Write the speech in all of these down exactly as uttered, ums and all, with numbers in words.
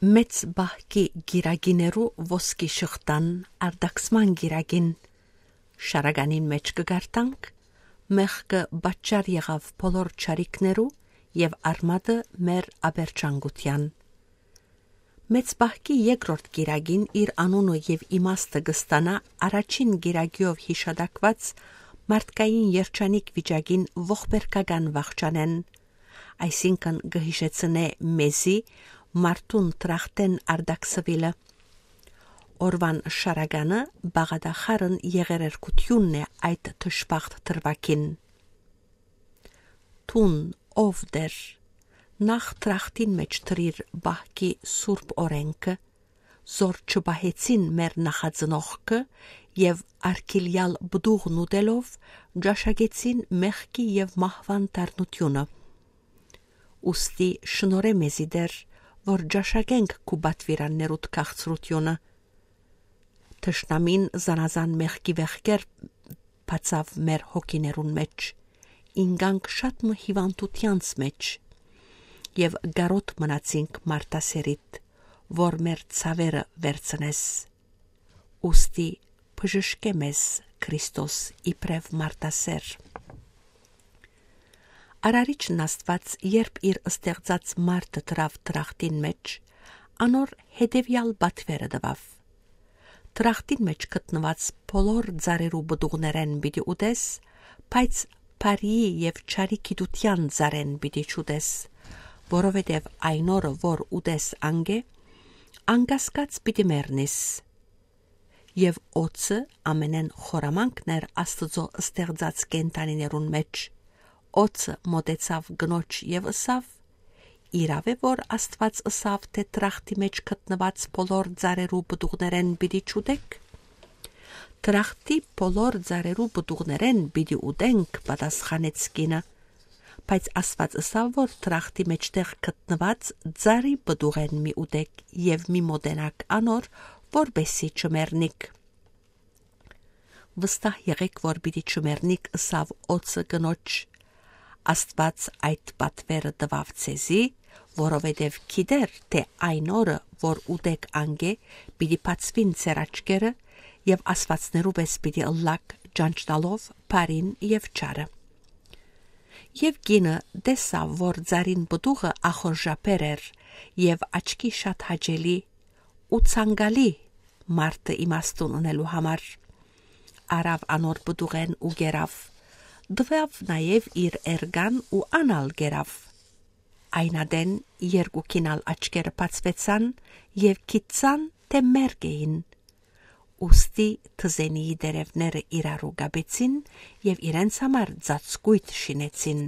Մեծ բահկի գիրագիներու ոսկի շղթան արդակսման գիրագին շարագանին մեջ կգարտանք, մեղքը բաճար եղավ բոլոր չարիքներու և արմատը մեր աբերջանգության։ Մեծ բահկի երկրորդ գիրագին իր անունը և իմաստը գստանա առաջին գիրագիով հիշադակված մարդկային երջանիկ վիճակին ողբերգական վախճանեն, այսինքն գհիշեցնե մեզի մարդուն տրախտեն արդակսվիլը։ Օրվան շարագանը բաղադախարն եղերերկությունն է այդ թշպախտ թրվակին։ Տուն ով դեր, նախ տրախտին մեջ տրիր բահկի սուրբ օրենքը, զոր չբահեցին մեր նախածնողքը և արկիլյալ բդուղն ուտելով ջաշագեցին մեղքի և մահվան դառնությունը։ Ուստի շնորհե մեզի դեր, որ ջաշագենք քու պատվիրաններուդ քաղցրությունը։ Թշնամին զանազան մեղքի վեղքեր բացավ մեր հոգիներուն մեջ, ինգանք շատ մը հիվանդությանց մեջ, և գարոտ մնացինք մարդասերիտ, որ մեր ցավերը վերցնես։ Ուստի բժշկե մեզ Քրիստոս իբրև մարդասեր։ Արարիչն Աստված, երբ իր ստեղծած մարդը դրավ տրախտին մեջ, անոր հետևյալ բատվերը տվավ. Տրախտին մեջ գտնված բոլոր ծառերու բդուղներեն պիտի ուտես, բայց բարիի և չարի գիտության ծառեն պիտի չուտես, որովհետև այն օրը, որ ուտես անգե, անկասկած պիտի մեռնես։ Եվ օծը ամենեն խորամանքներ Աստծո ստեղծած կենդանիներուն մեջ, օծը մոտեցավ գնոջ և ըսավ. իրավ է, որ Աստված ըսավ, թե տրախտի մեջ գտնված բոլոր ծառերու բդուղներեն պիտի չուտեք։ Տրախտի բոլոր ծառերու բդուղներեն պիտի ուտենք, պատասխանեց կինը, բայց Աստված ըսավ, որ տրախտի մեջտեղ գտնված ծառի բդուղեն մի ուտեք և մի մոտենաք անոր, որպեսզի չմեռնիք։ Վստահ եղեք, որ պիտի չմեռնիք, ըսավ օծը գնոջ։ Աստված այդ պատվերը տվավ ցեզի, որովհետև գիտեր, թե այն օրը, որ ուտեք անգե, պիտի բացվին ձեր աչքերը և ասվածներու պես պիտի ըլլաք, ճանչնալով բարին և չարը։ Եվ կինը տեսավ, որ ծառին բդուղը ախորժապեր էր և աչքի շատ հաճելի ու ցանկալի մարդը իմաստուն ունելու համար, արավ անոր բդուղեն ու գերավ, դվավ նաև իր էրգան ու անալ գերավ։ Այնադեն երկուքին ալ աչքերը բացվեցան և գիտցան, թե մերկ էին։ Ուստի թզենիի դերևները իրարու գաբեցին և իրենց համար ծածկույթ շինեցին։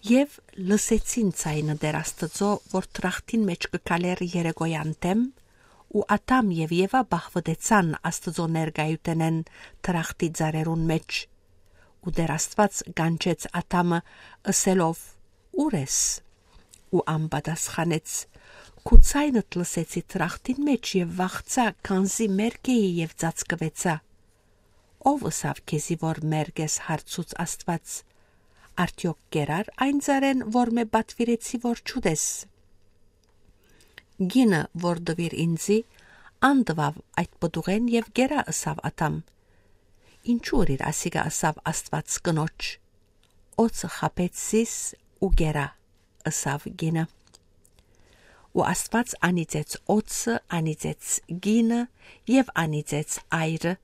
Եվ լսեցին ցայնը դեր Աստծո, որ տրախտին մեջ կգալեր երեկոյան դեմ, ու Ադամ և Եվա բախվտեցան Աստծո ներկայութենեն տրախտի ծառերուն մեջ, ու դեր Աստված գանչեց Ադամը ըսելով. «Ուր ես»։ Ու անպատասխանեց. «Քու ցայնդ լսեցի տրախտին մեջ և վախցա, քանզի մերկ էի և ծածկվեցա»։ Ով ըսավ քեզի, որ մերկ ես, հարցուց Աստված, արդյոք կերար այն ծառեն, որ մե պատվիրեցի, որ չուտես։ Գինը, որ դվիր ինձի, անդվավ այդ բդուղեն և գերա, ըսավ Ադամ։ Ինչու իր ասիգա, ըսավ Աստված կնոջ, օծը խաբեց զիս ու գերա, ըսավ գինը։ Ու Աստված անիծեց օծը, անիծեց գինը և անիծեց այրը,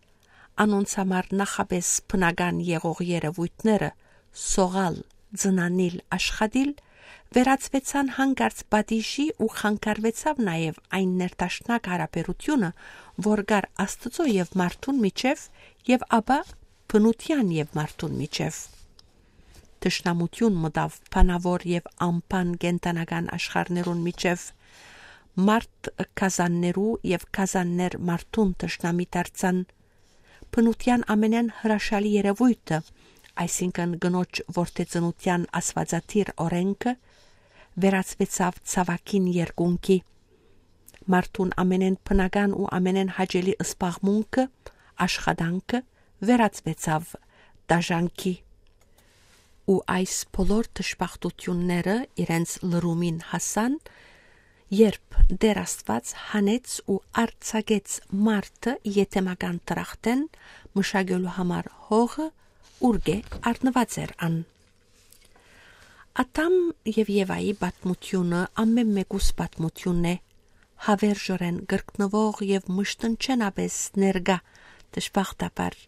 անոնց համար նախապես բնական եղող երևույթները՝ սողալ, ձնանիլ, աշխատիլ, վերածվեցան հանկարծ պատիժի ու խանգարվեցավ նաև այն ներդաշնակ հարաբերությունը, որ կար Աստծո և մարդուն միջև և ապա բնության և մարդուն միջև։ Թշնամություն մտավ բանավոր և անբան կենդանական աշխարհներուն միջև, մարդ գազաններու և գազաններ մարդուն թշնամի դարձան, բնության ամենեն հրաշալի երևույթը, այսինքն գնոջ որդեծնության աստվածադիր օրենքը, վերածվեցավ ցավակին երկունքի, մարդուն ամենեն բնական ու ամենեն հաճելի զբաղմունքը, աշխատանքը վերածվեցավ դաժանքի։ Ու այս բոլոր դժբախտությունները իրենց լրումին հասան, Երբ Դեր Աստված հանեց ու արձակեց մարդը եթեմական տրախտեն մշակելու համար հողը ուրգե առնված էր ան։ Ադամ եւ Եվայի պատմությունը ամեն մեկուս պատմությունն է, հավերժորեն գրկնվող եւ մշտնչենապես ներգա դժբախտաբար։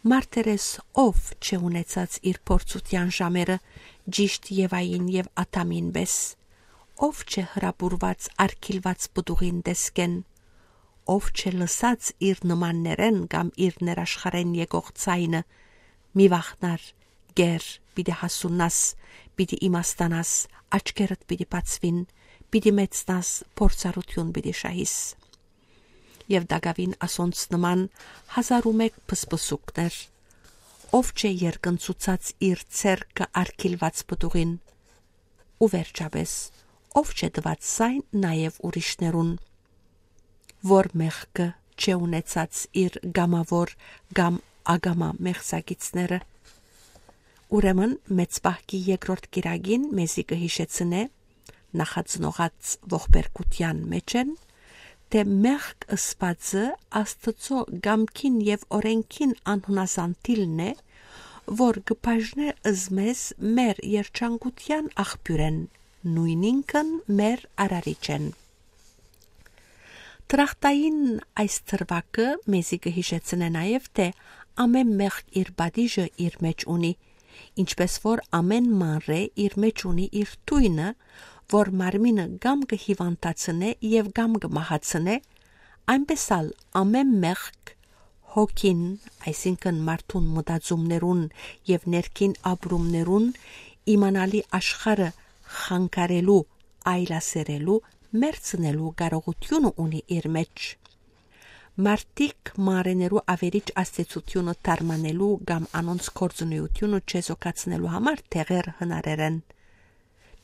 Մարտերես ով չունեցած իր փորձության ժամերը ճիշտ Եվային եւ Ադամին պես, ով չէ հրապուրված արգիլված բդուղին դեսկեն, ով չէ լսած իր նմաններեն կամ իր ներաշխարեն եկող ցայնը, մի վախնար, գեր, պիտի հասունաս, պիտի իմաստանաս, աչքերդ պիտի բացվին, պիտի մեծնաս, փորձառություն պիտի շահիս։ Եվ Դագավին ասոնց նման հազար ու մեկ փսփսուկներ, ով չէ երկնցուցած իր ցերկը արգիլված բդուղին, ու վերջապես ով չէ տված сайн նաև ուրիշներուն, որ մեղքը չէ ունեցած իր գամավոր կամ ագամա մեղսակիցները։ Ուրեմն մեծ պահքի երկրորդ կիրագին մեզի կհիշեցնե նախածնողած ողբերգության մեջ են, թե մեղք ըսվածը Աստծո գամքին եւ օրենքին անհունազանդիլն է, որ գբաժնե ըզմես մեր երջանկության աղբյուրեն, նույնինքն մեր արարիչեն։ Տրախտային այս թրվակը մեզի կհիշեցնե նաև, թե ամեն մեղք իր բադիժը իր մեջ ունի, ինչպես որ ամեն մանրե իր մեջ ունի իր թույնը, որ մարմինը գամ կհիվանդացնե եւ գամ կմահացնե, այնպես ալ ամեն մեղք հոգին, այսինքն մարդուն մտածումներուն եւ ներքին ապրումներուն իմանալի աշխարհը խանգարելու, այլասերելու, մերցնելու կարողությունը ունի իր մեջ։ Մարդիկ մարեներու ավերիչ աստեցությունը դարմանելու կամ անոնց կորձունեությունը չեզոքացնելու համար թեղեր հնարերեն։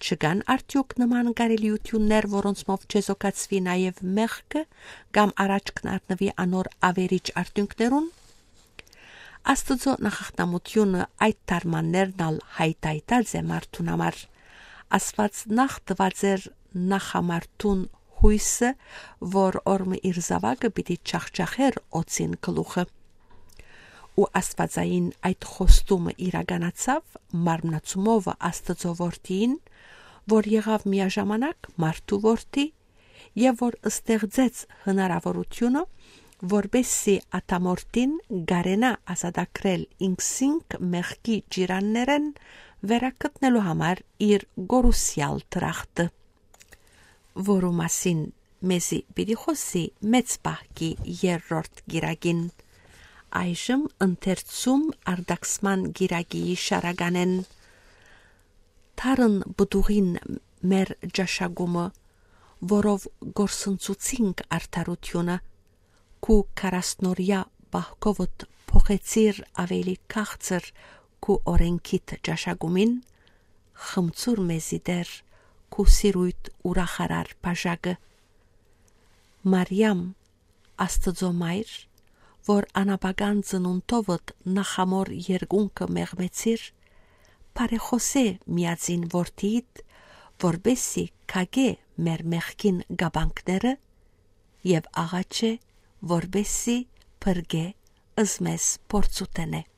Չկան արդյոք նման կարելիություններ, որոնցմով չեզոքացվի նաև մեղքը կամ առաջ կնարտնվի անոր ավերիչ արդյունքներուն։ Աստծո նախախտամությունը այդ դարմաններն ալ հայտայտած է մարդուն համար։ Աստված նախ տված էր նախամարտուն հույսը, որ օրմը իր զավակը պիտի չախճախեր օծին գլուխը։ Ու աստվածային այդ խոստումը իրականացավ մարմնացումով Աստծո որդին, որ եղավ միաժամանակ մարդու որդի եւ որ ստեղծեց հնարավորությունը, որբեսի ատամորտին գարենա ազատագրել ինքսինք մեղքի ջիրաններեն վերակտնելու համար իր գորուսյալ տրախտը, որու մասին մեզի պիտի խոսի մեծ պահքի երրորդ գիրագին։ Այժմ ընթերցում արդակսման գիրագիի շարականեն թարն բդուղին մեր ջաշագումը, որով գործընծուցինք արդարությունը, քու քարասնորյա բահկովդ փոխեցիր ավելի քաղցր քու օրենքիդ ջաշագումին, խմցուր մեզի դեր քու սիրույթ ուրախարար բաժակը։ Մարիամ, Աստծո մայր, որ անապական ծնունդովդ նախամոր երկունքը մեղմեցիր, բարեխոսե միածին որդիդ, որբեսի կագե մեր մեղքին գաբանքները եւ աղաչե, որբեսի փրկե ըզմես փորձուտենե։